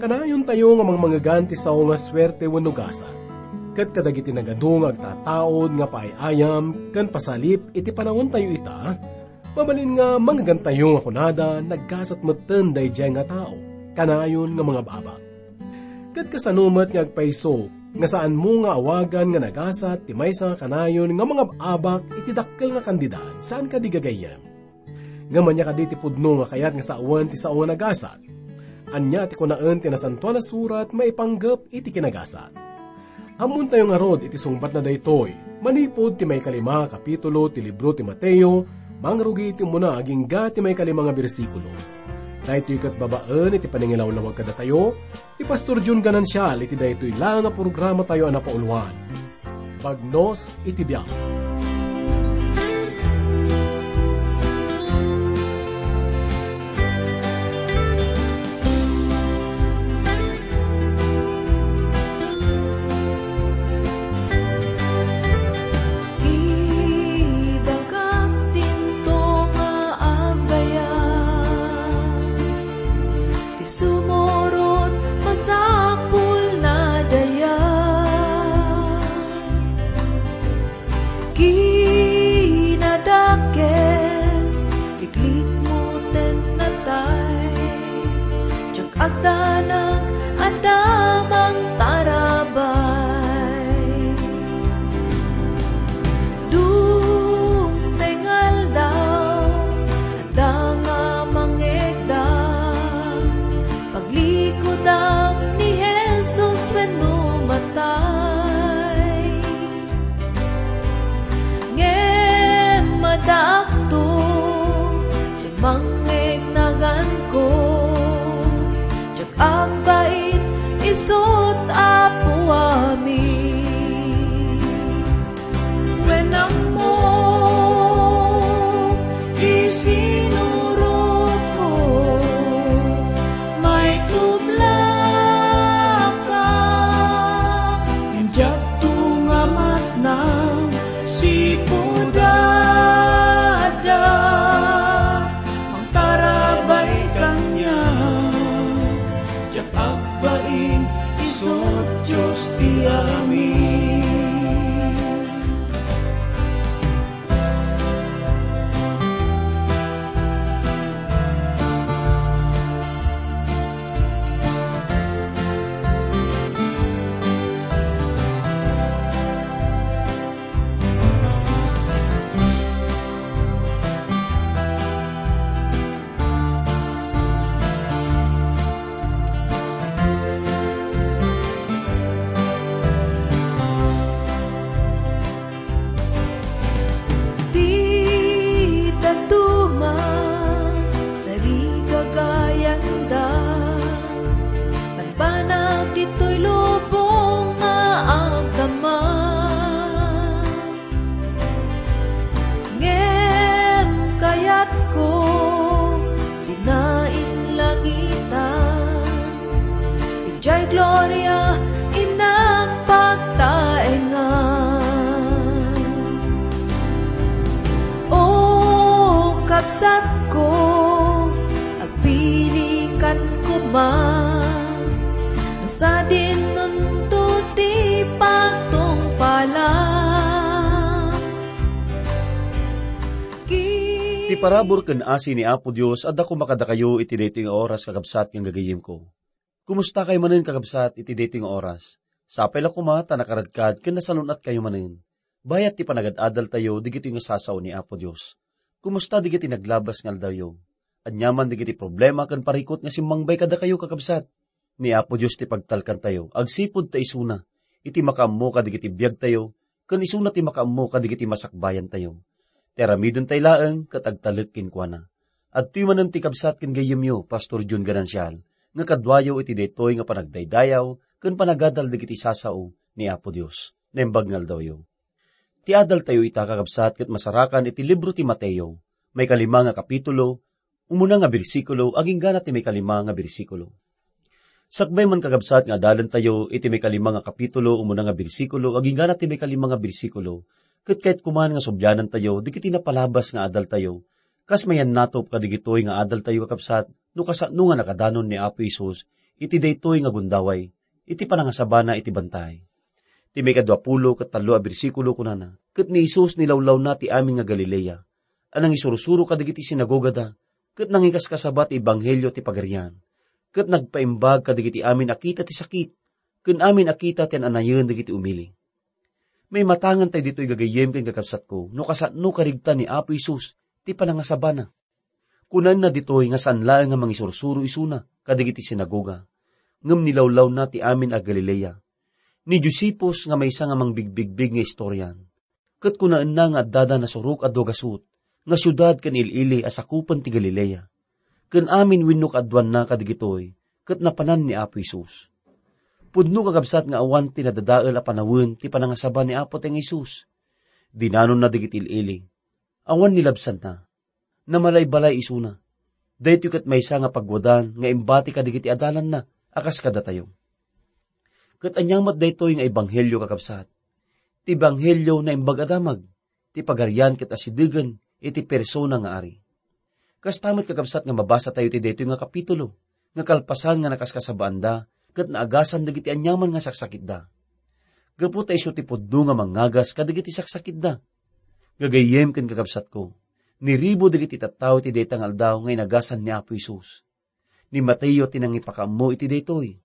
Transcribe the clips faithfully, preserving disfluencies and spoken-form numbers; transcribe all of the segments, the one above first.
Nayon tayo nga mangmangegan ti sao nga suerte wenno gasat. Ket kadagiti nagadu nga agtataud nga paay-ayam ken pasalip iti panaontayo ita, mabalin nga mangegantayo nga kunada, "Naggasat metten daydiay nga tao, kanayon nga mangab-abak." Ket kasano met nga agpayso nga saanmo nga awagan nga nagasat ti maysa nga kanayon nga mangab-abak iti dakkel nga kandidat, saan kadi gagayyem? Ngem ania kadi ti pudno nga kayat nga sawen ti sao nga nagasat? Ania ti kunaen ti Nasantoan a Surat maipanggep iti kinagasat? Ammontayo ngarud iti sungbatna daytoy, manipud ti maikalima a kapitulo ti libro ti Mateo, mangrugi iti umuna agingga ti maikalima nga bersikulo. Daytoy ket babaen iti panangilawlawag kadatayo, Ni Pastor Jun Ganancial iti daytoy la nga programatayo a napauluan, Bagnos iti Biag. Ibagak dinto nga agayam, ti sumurot masapul na dayag. Kinadakes, iklikmo ten natay, diak agdanag adda mangtarabay. Dumteng aldaw, adda nga mangegda, paglikudam ni Jesus wenno matay. Ngem addaakto ti mangngegnaganko, diak agbait isut' Apo amin. Wen ammo ti sinurotko, maitublaka, ngem diakto nga matnang sipud adda mangtarabay kaniak. Diak agbain, isut' Dios ti amin. Ti dadduma, tarigagayanda, banbanag ditoy lubong nga agdama. Ngem kayatko ti nainlangitan, idiay gloria innak pagtaengan. O kabsatko, agpilikan koma, no sadinonto ti pagtungpalan. Ti parabur ken asi ni Apo Dios adda koma kadakayo iti daytoy nga oras, kakabsat ken gagayyemko. Kumusta kayo manen, kakabsat, iti daytoy nga oras? Sapay la koma ta nakaradkad ken nasalun-at kayo manen. Bayat ti panagad-adal tayo digitoy nga sasao ni Apo Dios. Kumusta digiti naglabas nga aldawyo? Ania man digiti problema ken parikut nga simmangbay kadakayo, kakabsat? Ni Apo Dios ti pagtalkantayo agsipud ta isuna iti makaammo kadigiti biagtayo ken isuna ti makaammo kadigiti masakbayantayo. Ti aramidentayo laeng ket agtalek kenkuana. Adtoy manen ti kabsat ken gayyemyo, Pastor Jun Ganancial, nga kaduayo iti daytoy nga panagdaydayaw ken panagadal dagiti sasao ni Apo Dios. Naimbag nga aldawyo. Ti adaltayo ita, kakabsat, ket masarakan iti libro ti Mateo, maikalima nga kapitulo, umuna nga bersikulo, aginggana ti maikalima nga bersikulo. Sakbay man, kakabsat, nga adalentayo iti maikalima nga kapitulo, umuna nga bersikulo, aginggana ti maikalima nga bersikulo, ket kayat koman nga sublianantayo dagiti napalabas nga adaltayo, kas mayannatop kadigitoy nga adaltayo, kakabsat, no kasano nga nakadanon ni Apo Jesus iti daytoy nga gundaway, iti panangasabana iti bantay. Ti maikadua pulo ket tallo a bersikulo kunana, "Ket ni Jesus nilawlawna ti amin nga Galilea, a nangisursuro kadagiti sinagogada, ket nangikaskasaba ti ebanghelio ti Pagarian, ket nagpaimbag kadagiti amin a kita ti sakit, ken amin a kita ti an-anayen dagiti umili." Maimatangan tayo ditoy gagayyem ken kakabsatko no kasano karigta ni Apo Jesus ti panangasabana. Kunana ditoy nga saan laeng nga mangisursuro isuna kadagiti sinagoga, ngem nilawlawna ti amin a Galilea. Ni Josephus nga maysa nga mangbigbigbig nga istorian, ket kunaenna nga addada nasurok a dua gasut nga siudad ken il-ili a sakupen ti Galilea. Ken amin wenno kaaduanna kadagitoy ket napanan ni Apo Jesus. Pudno kakabsat nga awan ti nadadael a panawen ti panangasaba ni Apo ti Jesus. Dinanonna dagiti il-ili. Awan ni labsanna. Namalay-balay isuna. Daytoy ket maysa nga pagwadan nga imbati kadagiti adalanna a kas kadatayo. Ket ania met daytoy nga ebanghelio, kakabsat? Ti ebanghelio naimbag a damag, ti Pagarian ket asidegen iti persona nga ari. Kasta met, kakabsat, nga mabasa tayo ti daytoy nga kapitulo, nga kalpasan nga nakaskasabaanda ket naagasan dagiti aniaman nga saksakitda. Gapu ta isu ti pudno nga mangngagas kadagiti saksakitda. Gagayyem ken kakabsatko, niribo dagiti tattao iti dayta nga aldaw nga inagasan ni Apo Jesus. Ni Mateo ti nangipakaammo iti daytoy.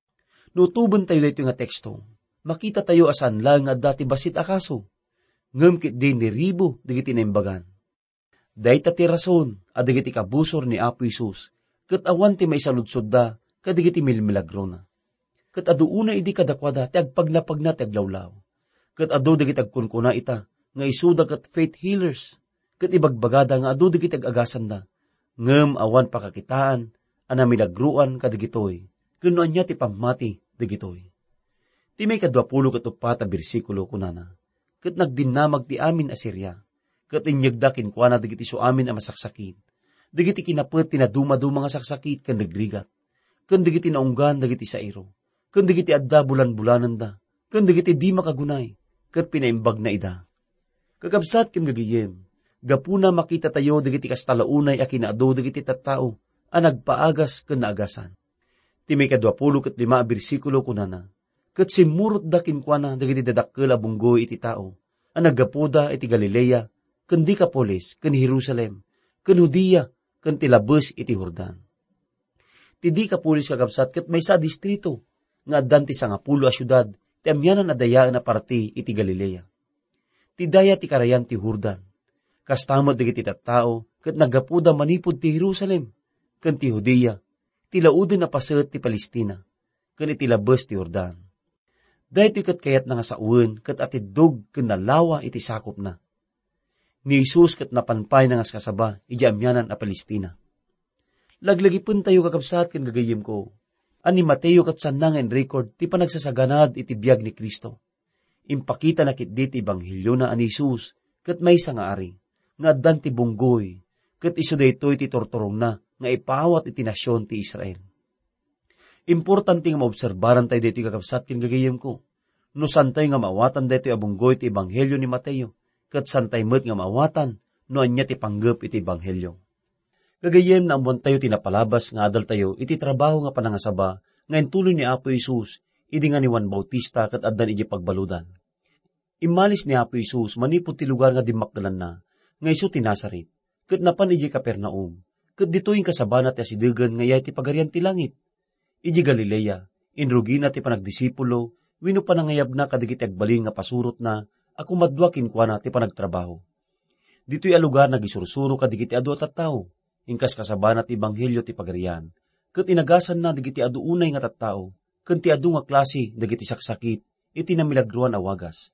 No utobentayo daytoy nga teksto, makitatayo a saan laeng nga adda ti bassit a kaso, ngem ketdi niribo dagiti naimbagan. Dayta ti rason a dagiti kabusor ni Apo Jesus ket awan ti maisaludsodda kadagiti milmilagrona. Ket adu unay idi kadakuada ti agpagnapagna ti aglawlaw. Ket adu dagiti agkunkuna ita nga isuda ket faith healers, ket ibagbagada nga adu dagiti ag-agasanda, ngem awan pakakitaan a namilagroan kadagitoy, ken no ania ti pammati dagitoy. Ti maikadua pulo ket uppat a bersikulo kunana, "Ket nagdinnamag ti amin a Siria, ket inyegda kenkuana dagiti isuamin a masaksakit, dagiti kinapet ti nadumaduma nga saksakit ken rigrigat, ken dagiti naunggan dagiti sairo, ken dagiti adda bulanbulananda, ken dagiti di makagunay, ket pinaimbagna ida." Kakabsat ken gagayyem, gapuna makitatayo dagiti kasta la unay a kinaadu dagiti tattao a nagpaagas ken naagasan. Ti maikadua pulo ket lima a bersikulo kunana, "Ket simmurotda kenkuana dagiti dadakkel a bunggoy iti tao a naggapuda iti Galilea, ken Decapolis, ken Jerusalem, ken Judea, ken ti labes iti Jordan." Ti Decapolis, kakabsat, ket maysa a distrito nga addan ti sangapulo a siudad ti amianan a dayaen a parti iti Galilea. Ti daya ti karayan ti Jordan. Kasta met dagiti tattao ket naggapuda manipud ti Jerusalem ken ti Judea, ti lauden a paset ti Palestina, ken iti labes ti Jordan. Daytoy ket kayatna nga sawen ket atiddog ken nalawa iti sakopna. Ni Jesus ket napan pay nangaskasaba idiay amianan a Palestina. Laglagipentayo, kakabsat ken gagayyemko, a ni Mateo ket saanna nga in-record ti panagsasaganad iti biag ni Cristo. Impakitana ketdi ti ebangheliona a ni Jesus ket maysa nga ari, nga addan ti bunggoy, ket isu daytoy ti turturongna nga ipaawat iti nasion ti Israel. Importante nga maobserbaran tayo daytoy, kakabsat ken gagayyemko, no saantayo nga maawatan daytoy a bunggoy ti ebanghelio ni Mateo, ket saantayo met nga maawatan no ania ti panggep iti ebanghelio. Gagayyem, naammoantayo ti napalabas nga adaltayo iti trabaho nga panangasaba nga intuloy ni Apo Jesus idi nga ni Juan Bautista ket addan idiay pagbaludan. Immalis ni Apo Jesus manipud ti lugar nga dimmakkelanna, nga isu ti Nazaret, ket napan idiay Capernaum, ket ditoy inkasabana ti asidegen nga idiay ti Pagarian ti Langit. Idiay Galilea, inrugina ti panagdisipulo wenno panangayabna kadagiti agbalin nga pasurotna a kumadua kenkuana ti panagtrabaho. Ditoy a lugar, nagisursuro kadagiti adu a tattao, inkaskasabana ti ebanghelio ti Pagarian, ket inagasanna dagiti adu unay nga tattao ken ti adu nga klase dagiti saksakit iti namilagroan a wagas.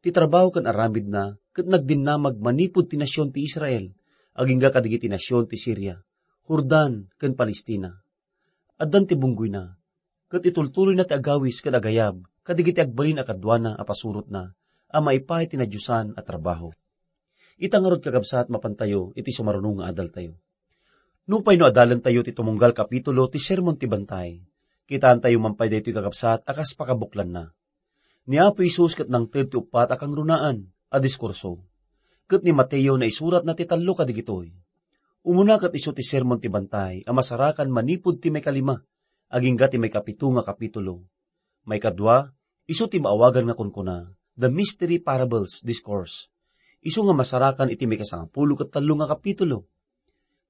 Ti trabaho ken aramidna ket nagdinnamag manipud ti nasion ti Israel, agingga kadagiti nasion ti Siria, Jordan, ken Palestina. Addan ti bunggoyna, ket itultuloyna ti agawis ken agayab kadagiti agbalin a kaduana a pasurotna a maipaay ti nadiosan a trabaho. Ita ngarud, kakabsat, mapantayo iti sumaruno nga adaltayo. Nupay no adalentayo ti tumunggal kapitulo ti Sermon ti Bantay, kitaentayo man pay daytoy, kakabsat, a kas pakabuklanna. Ni Apo Jesus ket nangted ti uppat a kangrunaan a diskurso. Ket ni Mateo naisuratna ti tallo kadagitoy. Umuna ket isu ti Sermon ti Bantay a masarakan manipud ti maikalima agingga ti maikapito nga kapitulo. Maikadua, isu ti maawagan nga kunkuna, The Mystery Parables Discourse. Isu nga masarakan iti maikasangapulo ket tallo nga kapitulo.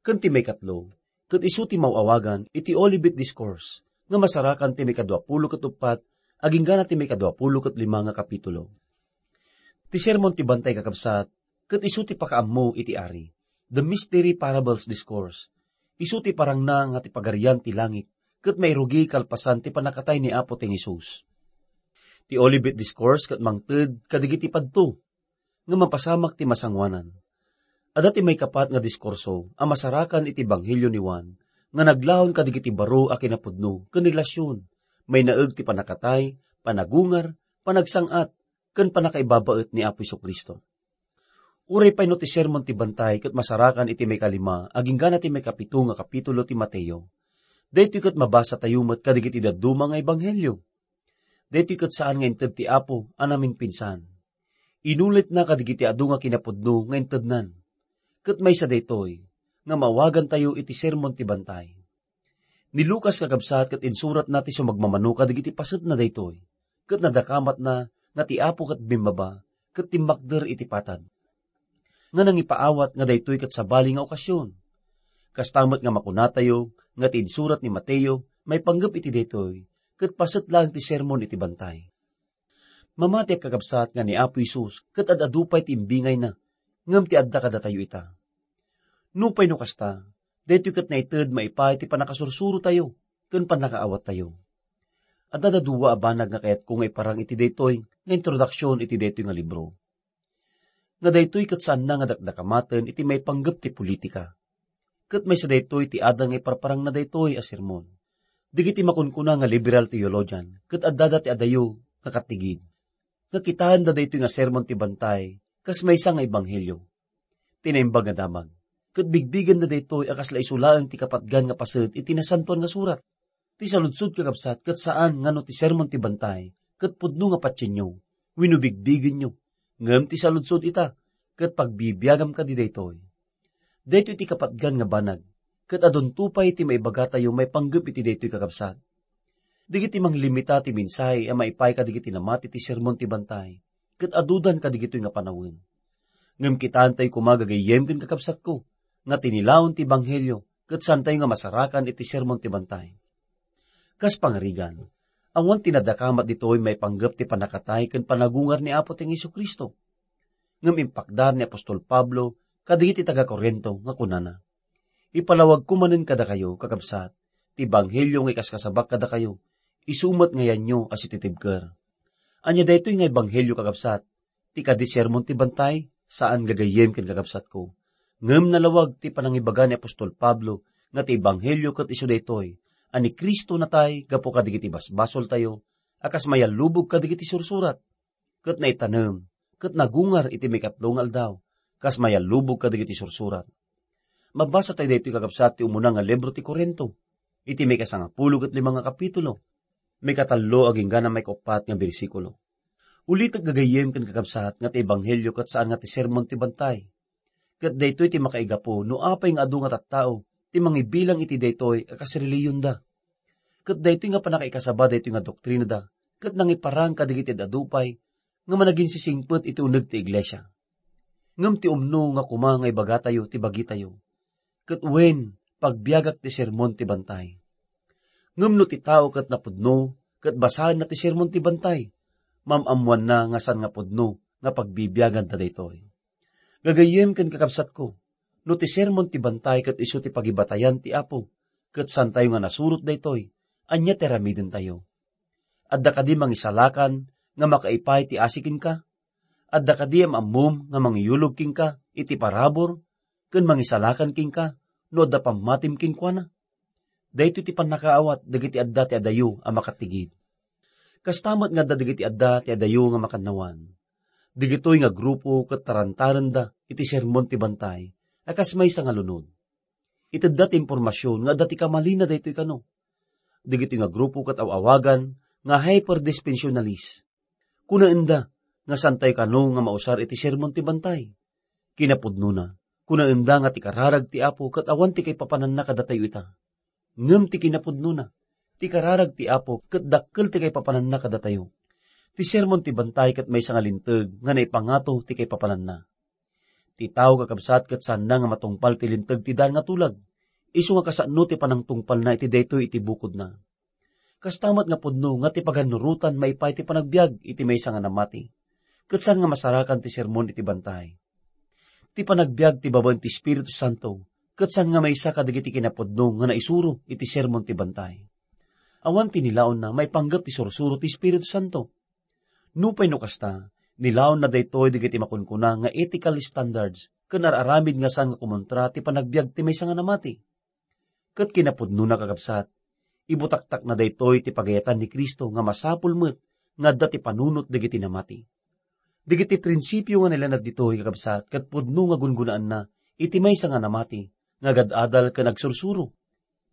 Ken ti maikatlo, ket isu ti maawagan iti Olivet Discourse, nga masarakan ti maikaduapulo ket uppat, aginggana ti maikaduapulo ket lima nga kapitulo. Ti Sermon ti Bantay, kakabsat, ket isu ti pakaammo iti Ari, The Mystery Parables Discourse. Isu ti parangna nga ti Pagarian ti langit, ket mairugi kalpasan ti pannakatay ni Apo ti Jesus. Ti Olivet Discourse ket mangted kadagiti padto nga mapasamak ti masangoanan. Adda ti maikapat nga diskurso a masarakan iti Ebanghelio ni Juan nga naglaon kadagiti baro a kinapudno ken relasion, mainaeg ti pannakatay, panagungar, panagsang-at, ken pannakaibabaet ni Apo Jesu-Cristo. Uray pay no ti Sermon ti Bantay ket masarakan iti maikalima aginggana ti maikapito nga kapitulo ti Mateo, daytoy ket mabasatayo met kadagiti dadduma nga ebanghelio. Daytoy ket saan nga inted ti Apo a naminpinsan. Inulitna kadagiti adu nga kinapudno nga intednan. Ket maysa daytoy nga maawagantayo iti Sermon ti Bantay. Ni Lucas, kakabsat, ket insuratna ti sumagmamano kadagiti pasetna daytoy, ket nadakamatna nga ti Apo ket bimmaba ket timmakder iti patad. Nga nangipaawat nga daytoy ket sabali nga okasion. Kasta met nga makunatayo nga ti insurat ni Mateo maipanggep iti daytoy, ket paset laeng ti Sermon iti Bantay. Mamatiak, kakabsat, nga ni Apo Jesus ket ad-adu pay ti imbingayna, ngem ti adda kadatayo ita. Nupay no kasta, daytoy ket naited maipaay ti pannakasursurotayo ken pannakaawattayo. Adda dua a banag nga kayatko nga iparang iti daytoy nga introduksion iti daytoy nga libro. Nga daytoy ket saanna nga dakdakamaten iti maipanggep ti politika. Ket maysa daytoy ti adan nga iparparangna daytoy a sermon. Dagiti makunkuna nga liberal theologian ket addada ti adayo nga katigid. Nga kitaenda daytoy nga Sermon ti Bantay kas maysa nga ebanghelio. Ti naimbag nga damag, ket bigbigenda daytoy a kasla isu laeng ti kapatgan nga paset iti Nasantoan nga Surat. Ti saludsod, kakabsat, ket saan nga no ti Sermon ti Bantay ket pudno nga patienyo wenno bigbigenyo, ngem ti saludsod ita ket pagbibiagam kadi daytoy. Daytoy ti kapatgan nga banag, ket adunto pay ti maibagatayo maipanggep iti daytoy, kakabsat. Dagiti manglimita ti mensahe a maipaay kadagiti namati ti Sermon ti Bantay ket adudan kadigitoy nga panawen. Ngem kitaentayo koma, gagayyem ken kakabsatko, nga tinilaon ti ebanghelio ket saantayo nga masarakan iti Sermon ti Bantay. Kas pangarigan, awan ti nadakamat ditoy maipanggep ti pannakatay ken panagungar ni Apo ti Jesu-Cristo. Ngem impakdar ni apostol Pablo kadagiti taga-Corinto nga kunana, "Ipalawagko manen kadakayo, kakabsat, ti ebanghelio nga ikaskasabak kadakayo, isu met nga yanyo a sititibker." Ania daytoy nga ebanghelio, kakabsat? Ti kadi Sermon ti Bantay? Saan, gagayyem ken kakabsatko. Ngem nalawag ti panangibaga ni apostol Pablo nga ti ebanghelio ket isu daytoy, a ni Cristo natay gapu kadagiti basbasoltayo, a kas mayallubog kadagiti sursurat, ket naitanem, ket nagungar iti maikatlo nga aldaw, kas mayallubog kadagiti sursurat. Mabasa tayo daytoy, kakabsat, ti umuna nga libro ti Corinto, iti maikasangapulo ket lima nga kapitulo, maikatallo agingga na maikauppat nga bersikulo. Ulitek, gagayyem ken kakabsat, nga ti ebanghelio ket saan nga ti Sermon ti Bantay. Ket daytoy ti makaigapu no apay nga adu nga tattao ti mangibilang iti daytoy a kas reliyonda. Ket daytoy nga pannakaikasaba daytoy nga doktrinada ket nangiparang kadagiti ad-adu pay nga managinsisingpet iti uneg ti iglesia. Ngem ti umno nga koma nga ibagatayo ti bagitayo, ket wen, pagbiagak ti Sermon ti Bantay. Ngem no ti tao ket napudno ket basaenna ti Sermon ti Bantay, maam-ammoanna nga saan nga pudno nga pagbibiaganda daytoy. Gagayyem ken kakabsatko, no ti Sermon ti Bantay ket isu ti pagibatayan ti Apo, ket saantayo nga nasurot daytoy, ania ti aramidentayo? Adda kadi mangisalakan nga makaipaay ti asi kenka? Adda kadi am-ammom nga mangiyulog kenka iti parabur ken mangisalakan kenka no adda pammatim kenkuana? Daytoy ti pannakaawat dagiti adda ti adayo a makatigid. Kasta met nga adda dagiti adda ti adayo nga makannawan. Dagitoy nga grupo ket tarantarenda iti Sermon ti Bantay a kas maysa nga lunod. Itedda ti impormasion nga adda ti kamalina daytoy kano. Dagitoy nga grupo ket aw-awagan nga hyperdispensionalis. Kunaenda nga saantayo kano nga mausar iti Sermon ti Bantay. Kinapudnona, kunaenda nga ti kararag ti Apo ket awan ti kaipapananna kadatayo ita. Ngem ti kinapudnona, Ti kararag ti Apo ket dakkel ti kaipapananna kadatayo. Ti sermon ti bantay ket maysa nga linteg nga naipangato ti kaipapananna. Ti tao, kakabsat, ket saanna nga matungpal ti linteg ti daan nga tulag, isu nga kasano ti panangtungpalna iti daytoy iti bukodna. Kasta met nga pudno nga ti pagannurotan maipaay ti panagbiag iti maysa nga namati, ket saan nga masarakan ti sermon iti bantay. Ti panagbiag ti babaen ti Espiritu Santo ket saan nga maysa kadagiti kinapudno nga naisuro iti sermon ti bantay. Awan ti nilaonna maipanggep ti sursuro ti Espiritu Santo. Nupay no kasta, nilaonna daytoy dagiti makunkuna nga ethical standards ken ar-aramid nga saan nga kumontra ti panagbiag ti maysa nga namati. Ket kinapudnona, kakabsat, ibutaktakna daytoy ti pagayatan ni Cristo nga masapul met nga adda ti panunot dagiti namati. Dagiti prinsipio nga nailanad ditoy, kakabsat, ket pudno nga gungunaanna iti maysa nga namati nga agad-adal ken agsursuro.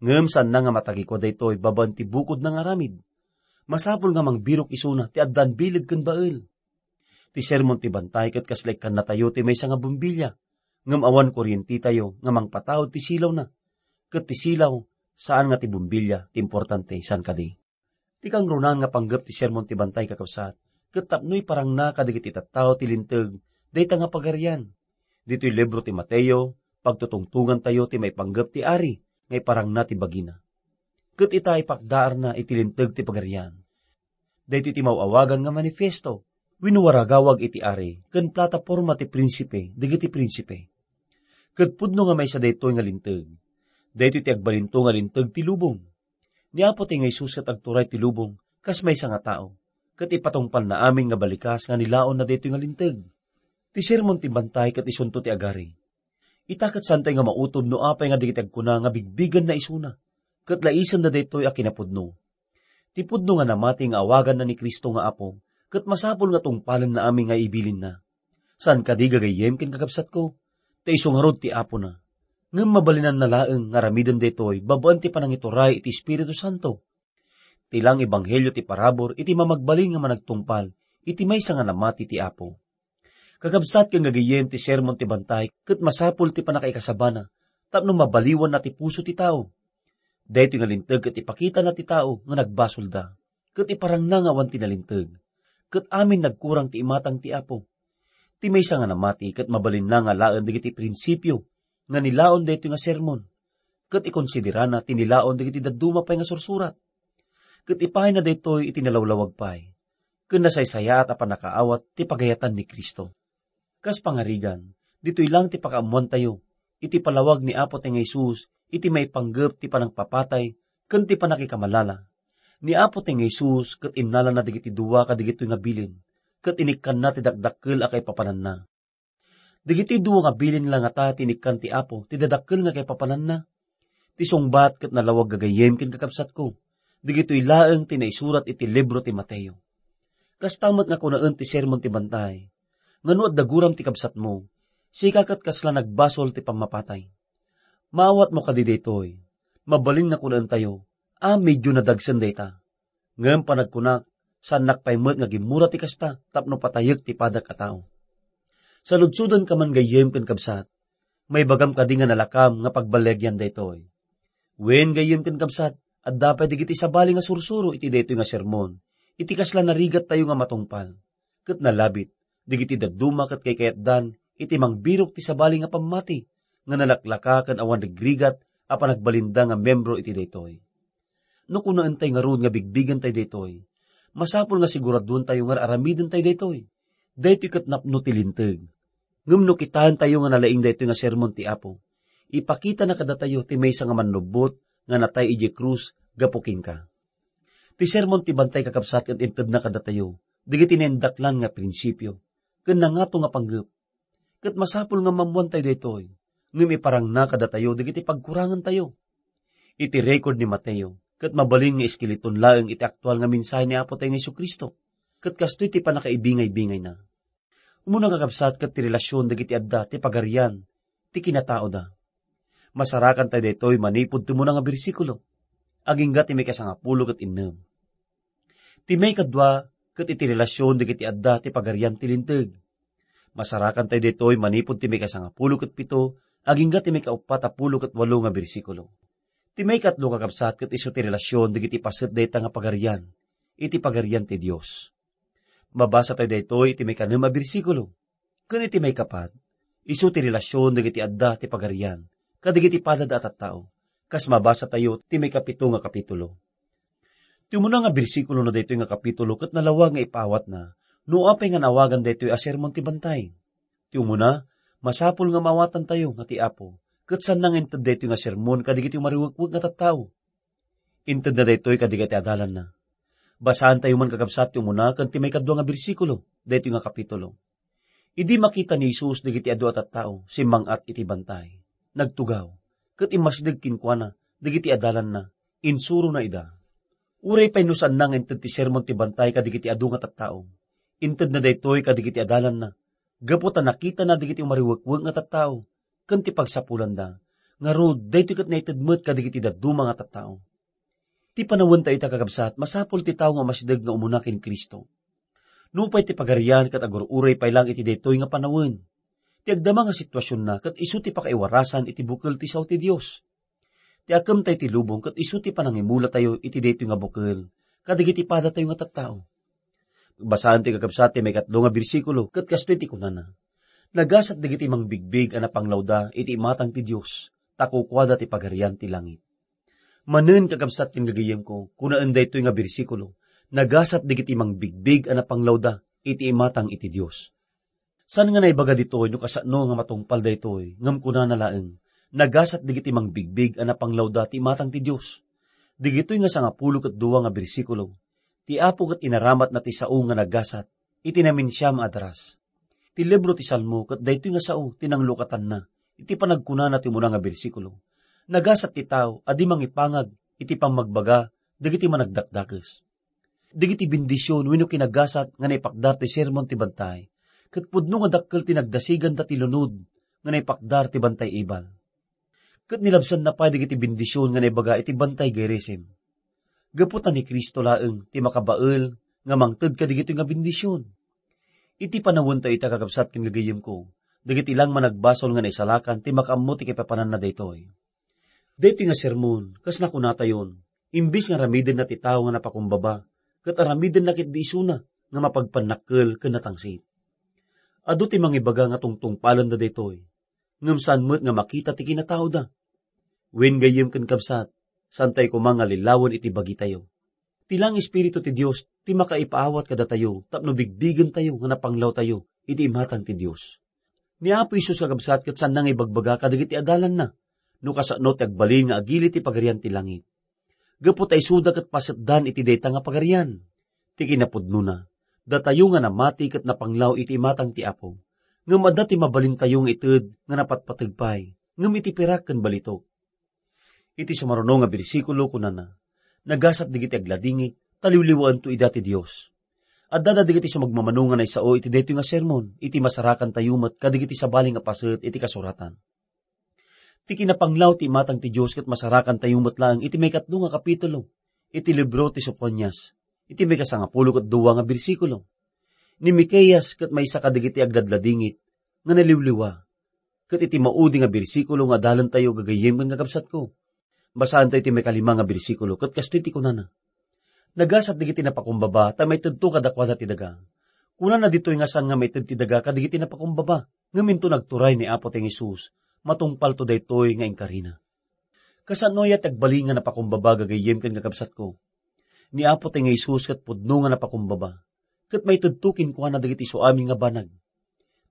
Ngem saanna nga matagikua daytoy babaen ti bukodna nga aramid. Masapul nga mangbirok isuna ti addaan bileg ken bael. Ti sermon ti bantay ket kasla ikkannatayo ti maysa nga bombilya, ngem awan kuryentetayo nga mangpataud ti silawna. Ket ti silaw, saan nga ti bombilya ti importante, saan kadi? Ti kangrunaan nga panggep ti sermon ti bantay, kakabsat, ket tapno iparangna kadagiti tattao ti linteg dayta nga pagarian. Ditoy libro ti Mateo, pagtutungtongantayo ti maipanggep ti ari nga iparangna ti bagina. Ket ita, ipakdaarna iti linteg ti pagarian. Daytoy ti maw-awagan nga manifiesto wenno waragawag iti ari ken plataporma ti prinsipe dagiti prinsipe. Ket pudno nga maysa daytoy nga linteg. Daytoy ti agbalinto nga linteg ti lubong. Ni Apo ti nga Jesus ket agturay ti lubong kas maysa nga tao, ket ipatungpalna amin nga balikas nga nilaonna daytoy nga linteg. Ti sermon ti bantay ket isunto ti agari. Ita ket saantayo nga mautom no apay nga dagiti agkuna nga bigbigenna isuna, ket laisenda daytoy a kinapudno. Ti pudno nga namati nga awaganna ni Cristo nga Apo, ket masapul nga tungpalenna amin nga ibilinna. Saan kadi, gagayyem ken kakabsatko, ta isu ngarud ti Apona. Ngem mabalinanna laeng nga aramiden daytoy babaen ti panangituray iti Espiritu Santo. Ti laeng ebanghelio ti parabur iti mamagbalin nga managtungpal iti maysa nga namati ti Apo. Kakabsat ken gagayyem, ti sermon ti bantay ket masapul ti pannakaikasabana tapno mabaliwanna ti puso ti tao. Daytoy nga linteg ket ipakitana ti tao nga nagbasolda, ket iparangna nga awan ti nalinteg, ket amin nagkurang ti imatang ti Apo. Ti maysa nga namati ket mabalinna nga alaen dagiti prinsipio nga nilaon daytoy nga sermon, ket ikonsiderana ti nilaon dagiti dadduma pay nga sursurat. Ket ipayna daytoy iti nalawlawag pay, ken nasaysayaat a pannakaawat ti pagayatan ni Cristo. Kas pangarigan, ditoy laeng ti pakaammoantayo iti palawag ni Apo ti nga Jesus iti maipanggep ti panangpapatay ken ti pannakikamalala. Ni Apo ti nga Jesus ket innalana dagiti dua kadagitoy nga bilin, ket inikkanna ti dakdakkel a kaipapananna. Dagiti dua nga bilin la ngata ti inikkan ti Apo ti dadakkel nga kaipapananna. Ti sungbat ket nalawag, gagayyem ken kakabsatko, dagitoy laeng ti naisurat iti libro ti Mateo. Kasta met nga kunaen ti sermon ti bantay, nga no adda guram ti kabsatmo, sika ket kasla nagbasol ti pammapatay. Maawatmo kadi daytoy? Mabalin nga kunaentayo a medio nadagsen dayta. Ngem panagkunak, saannak pay met nga gimmura ti kasta tapno patayek ti padak a tao. Saludsodanka man, gayyem ken kabsat, maibagam kadi nga nalakam nga pagballiagian daytoy? Wen, gayyem ken kabsat, adda pay dagiti sabali nga sursuro iti daytoy nga sermon, iti kasla narigattayo nga matungpal. Ket nalabit, dagiti dadduma ket kaykayatdan iti mangbirok ti sabali nga pammati nga nalaklaka ken awan rigrigat a panagbalinda nga membro iti daytoy. No kunaentay ngarud nga bigbigentayo daytoy, masapul nga siguraduentayo nga ar-aramidentayo daytoy. Daytoy ket napno ti linteg. Ngem no kitaentayo nga nalaing daytoy nga sermon ti Apo, ipakitana kadatayo ti maysa nga mannubbot nga natay idiay krus gapu kenka. Ti sermon ti bantay, kakabsat, ket intedna kadatayo dagiti naindaklan nga prinsipio ken nangato nga panggep. Ket masapul nga maammoantayo daytoy, ngem iparangna kadatayo dagiti pagkurangantayo. Iti record ni Mateo, ket mabalin nga iskeleton laeng iti aktual nga mensahe ni Apo tayo nga Jesu-Cristo, ket kastoy ti pannakaibingaybingayna. Umuna, kakabsat, ket ti relasyon dagiti adda ti pagarian ti kinataoda. Masarakantayo daytoy manipud ti umuna nga bersikulo, agingga ti maikasangapulo ket innem. Ti maikadua ket iti relasyon dagiti adda ti pagarian ti linteg. Masarakantayo daytoy manipud ti maikasangapulo ket pito agingga ti maikauppat a pulo ket walo nga bersikulo. Ti maikatlo, kakabsat, ket isu ti relasyon dagiti paset dayta nga pagarian iti Pagarian ti Dios. Mabasa tayo daytoy iti maikanem a bersikulo. Ken iti maikapat, isu ti relasyon dagiti adda ti pagarian kadagiti padada a tattao, kas mabasa tayo ti maikapito nga kapitulo. Ti umuna nga bersikulo na daytoy nga kapitulo ket nalawag nga ipaawatna no apay nga naawagan daytoy a Sermon ti Bantay. Ti umuna, masapul nga maawatantayo nga ti Apo ket saan nga inted daytoy nga sermon kadagiti umariwekwek nga tattao. Intedna daytoy kadagiti adalanna. Basaantayo man, kakabsat, ti umuna ken ti maikadua nga bersikulo daytoy nga kapitulo. Idi makita ni Jesus dagiti adu a tattao, simmang-at iti bantay, nagtugaw, ket immasdeg kenkuana dagiti adalanna, insurona ida. Uray pay no saanna nga inted ti Sermon ti Bantay kadagiti adu nga tattao, intedna daytoy kadagiti adalanna, gapu ta nakitana dagiti umariwekwek nga tattao ken ti pagsapulanda. Ngarud, daytoy ket naited met kadagiti dadduma nga tattao. Ti panawentayo ita, kakabsat, masapul ti tao nga umasdeg nga umuna ken Cristo. Nupay ti Pagarian ket agur-uray pay lang iti daytoy nga panawen. Ti agdama nga situasionna ket isu ti pakaiwarasan iti bukel ti sao ti Dios. Ti akemtayo ti lubong ket isu ti panangimulatayo iti daytoy nga bukel kadagiti padatayo nga tattao. Basaantayo, kakabsat, ti maikatlo nga bersikulo ket kastoy ti kunana, "Nagasat dagiti mangbigbig a napanglawda iti imatang ti Dios, ta kukuada ti Pagarian ti langit." Manen, kakabsat ken gagayyemko, kunaen daytoy nga bersikulo, "Nagasat dagiti mangbigbig a napanglawda iti imatang iti Dios." Saan nga naibaga ditoy no kasano nga matungpal daytoy, ngem kunana laeng, "Nagasat dagiti mangbigbig a napanglawda ti imatang ti Dios." Dagitoy nga sangapulo ket dua nga bersikulo, ti Apo ket inaramatna ti sao nga nagasat iti naminsiam a daras. Ti libro ti Salmo ket daytoy nga sao ti nanglukatanna iti panagkunana ti umuna nga bersikulo, "Nagasat ti tao a di mangipangag iti pammagbaga dagiti managdakdakes." Dagiti bendision wenno kinagasat nga naipakdar ti Sermon ti Bantay, ket pudno nga dakkel ti nagdasiganda ti lunod nga naipakdar ti Bantay Ebal. Ket nilabsanna pay dagiti bendision nga naibaga iti Bantay Gerizim. Gapu ta ni Cristo laeng ti makabael nga mangted kadagitoy nga bendision. Iti panawentayo ita, kakabsat ken gagayyemko, dagiti lang managbasol nga naisalakan ti makaammo ti kaipapananna daytoy. Daytoy nga sermon, kas nakunatayon, imbes nga aramidenna ti tao nga napakumbaba, ket aramidenna ketdi isuna nga mapagpannakkel ken natangsit. Adu ti mangibaga nga tungtungpalenda daytoy, ngem saan met nga makita ti kinataoda. Wen gayyem ken kabsat, saantayo koma nga lilawen iti bagitayo. Ti lang Espiritu ti Dios ti makaipaawat kadatayo tapno bigbigentayo nga napanglawtayo iti imatang ti Dios. Ni Apo Jesus, kakabsat, ket saanna nga ibagbaga kadagiti adalanna no kasano ti agbalin nga agili ti Pagarian ti Langit. Gapu ta isuda ket pasetdan iti dayta nga Pagarian. Ti kinapudnona, datayo nga namati ket napanglaw iti imatang ti Apo, ngem adda ti mabalintayo nga ited nga napatpateg pay, ngem iti pirak ken balitok. Iti sumaruno nga bersikulo, kunana, "Nagasat dagiti agladingit, ta liwliwaento ida ti Dios." Addada dagiti sumagmamano nga naisao iti daytoy nga sermon, iti masarakantayo met kadagiti sabali nga paset iti kasuratan. Ti kinapanglaw ti imatang ti Dios ket masarakantayo met laeng iti maikatlo nga kapitulo iti libro ti Sofonias, iti maikasangapulo ket dua nga bersikulo. Ni Miqueas ket maysa kadagiti agladladingit nga naliwliwa. Ket iti maudi nga bersikulo nga adalentayo, gagayyem ken kakabsatko, basaantayo ti maikalima nga bersikulo, ket kastoy ti kunana, "Nagasat dagiti napakumbaba, ta maitedto kadakuada ti daga." Kunana ditoy nga saan nga maited ti daga kadagiti napakumbaba, ngem inton agturay ni Apo ti Jesus, matungpalto daytoy nga inkarina. Kasano aya ti agbalin nga napakumbaba, gagayyem ken kakabsatko? Ni Apo ti nga Jesus ket pudno nga napakumbaba, ket maitedto kenkuana dagiti isuamin nga banag.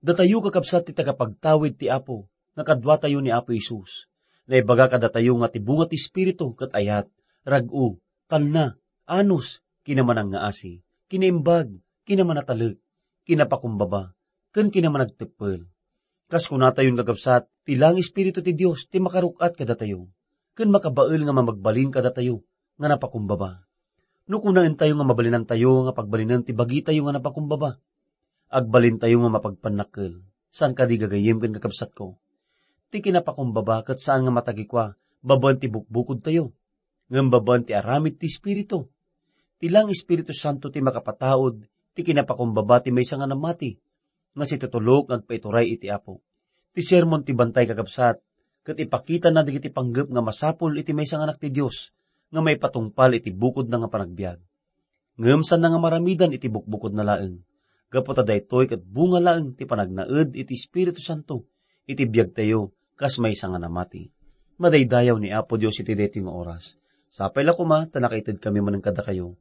Datayo, kakabsat, ti tagapagtawid ti Apo, nga kaduatayo ni Apo Jesus. Naibaga kadatayo nga ti bunga ti Espiritu ket ayat, rag-o, talna, anus, kinamanangngaasi, kinaimbag, kinamanatalek, kinapakumbaba, ken kinamanagteppel. Kas kunatayon, kakabsat, ti lang Espiritu ti Dios ti makaruk-at kadatayo, ken makabael nga mamagbalin kadatayo nga napakumbaba. No kunaentayo nga mabalinantayo nga pagbalinen ti bagitayo nga napakumbaba, agbalintayo nga mapagpannakkel. Saan kadi, gagayyem ken kakabsatko? Ti kinapakumbaba ket saan nga matagikua babaen ti bukbukodtayo, ngem babaen ti aramid ti Espiritu. Ti lang Espiritu Santo ti makapataud ti kinapakumbaba ti maysa nga namati, nga situtulok nga agpaituray iti Apo. Ti sermon ti bantay, kakabsat, ket ipakitana dagiti panggep nga masapul iti maysa nga anak ti Dios nga maipatungpal iti bukodna nga panagbiag. Ngem saanna nga maramidan iti bukbukodna laeng, gapu ta daytoy ket bunga laeng ti panagnaed iti Espiritu Santo iti biagtayo kas maysa nga namati. Madaydayaw ni Apo Dios iti daytoy nga oras. Sapay la koma ta nakaitedkami manen kadakayo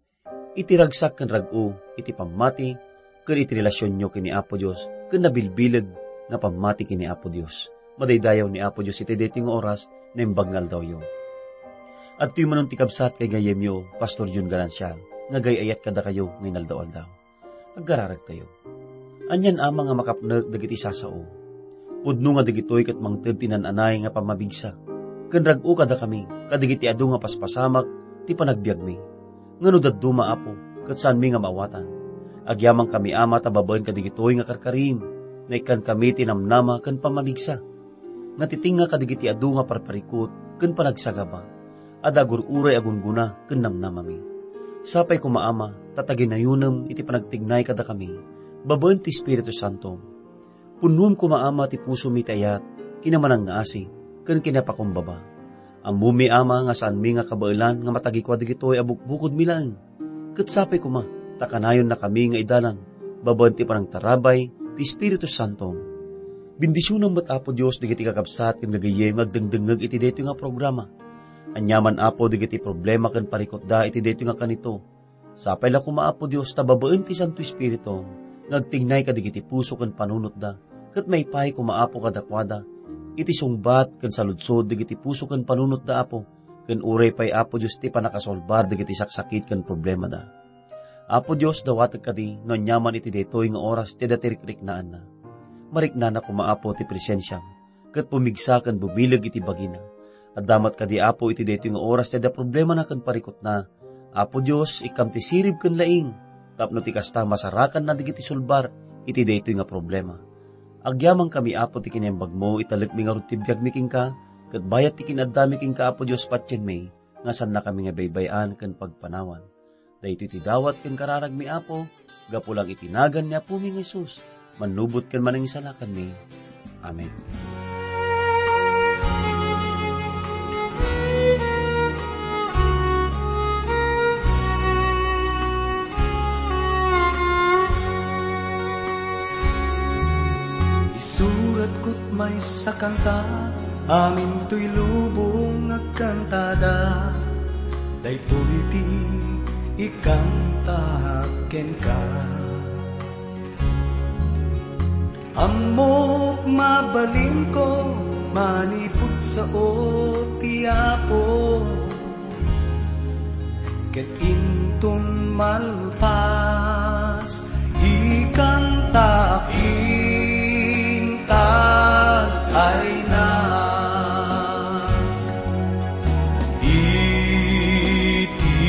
iti ragsak ken rag-o iti pammati ken iti relasionyo ken ni Apo Dios ken nabilbileg nga pammati ken ni Apo Dios. Madaydayaw ni Apo Dios iti daytoy nga oras, naimbag nga aldawyo. Adtoy manen ti kabsat ken gayyemyo, Pastor Jun Garancial, nga agay-ayat kadakayo nga inaldaw-aldaw. Agkararagtayo. Anian, Ama, nga makapnek dagiti sasao. Pudno nga dagitoy ket mangted ti nan-anay nga pammamigsa. Ken rag-o kadakami, kadagiti adu nga paspasamak ti panagbiagmi. Nga no dadduma, Apo, ket saanmi nga maawatan. Agyamankami, Ama, ta babaen kadagitoy nga karkarim, naikkankami ti namnama ken pammamigsa. Nga ti tengnga kadagiti adu nga parparikut ken panagsagaba, adda agur-uray a gunggona ken namnamami. Sapay koma, Ama, ta taginayonem iti panagtignay kadakami, babaen ti Espiritu Santo. Punnoem koma, Ama, ti pusomi ti ayat, kinamanangngaasi, ken kinapakumbaba. Ammomi, Ama, nga saanmi nga kabaelan nga matagikua dagitoy a bukbukodmi laeng. Ket sapay koma, ta kanayonnakami nga idalan, babaen ti panangtarabay ti Espiritu Santo. Bendisionem met, Apo Dios, dagiti kakabsat ken gagayyem nga agdengdengngeg iti daytoy nga programa. Aniaman, Apo, dagiti problema ken parikutda iti daytoy nga kanito. Sapay la koma, Apo Dios, ta babaen ti Santo Espiritu nga agtignay kadagiti puso ken panunotda, ket maipaay koma, Apo, kadakuada iti sungbat ken saludsod dagiti puso ken panunotda, Apo, ken uray pay, Apo Dios, ti pannakasolbar dagiti saksakit ken problemada. Apo Dios, dawatek kadi no aniaman iti daytoy nga oras ti adda ti rikriknaanna. Mariknana koma, Apo, ti presensiam, ket pumigsa ken bumileg iti bagina. Adda met kadi, Apo, iti daytoy nga oras ti adda problemana ken parikutna. Apo Dios, ikkam ti sirib ken laing, tapno ti kasta masarakanna dagiti sulbar iti daytoy nga problema. Agyamankami, Apo, ti kinaimbagmo, italekmi ngarud ti biagmi kenka, ket bayat ti kin-addami kenka, Apo Dios, patienmi, nga saannakami nga baybay-an ken pagpanawan. Daytoy ti dawat ken kararagmi, Apo, gapu lang iti nagan ni Apomi nga Jesus, mannubot ken Manangisalakanmi. Amen. Isuratko't maysa kanta, amin toy lubong agkantada. Daytoy ti ikantaak kenka. Ammok mabalinko manipud sao ti Apo. Ket inton malpas, ikantaak intag ayna. Iti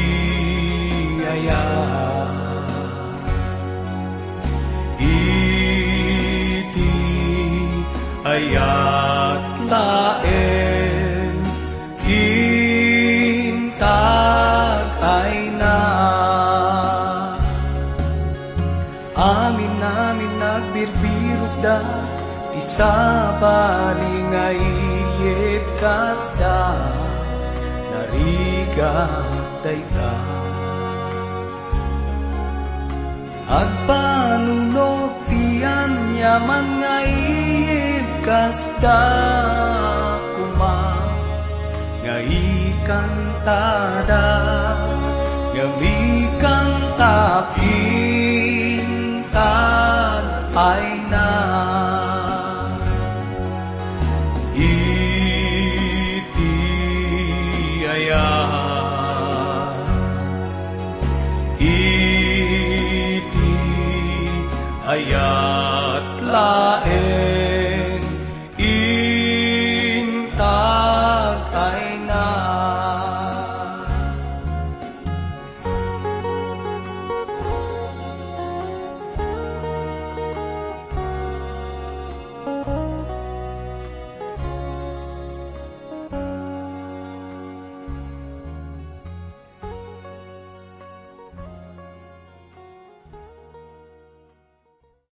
ayat, iti ayat laeng intag ayna. Amin-amin nagbirbirokda, ti sabali nga iyebbkasda, narigat dayta. Agpanunot ti aniaman nga iyebbkasda koma nga ikantada, ngem ikantaak intag ayna. Iti ayat, iti ayat laeng.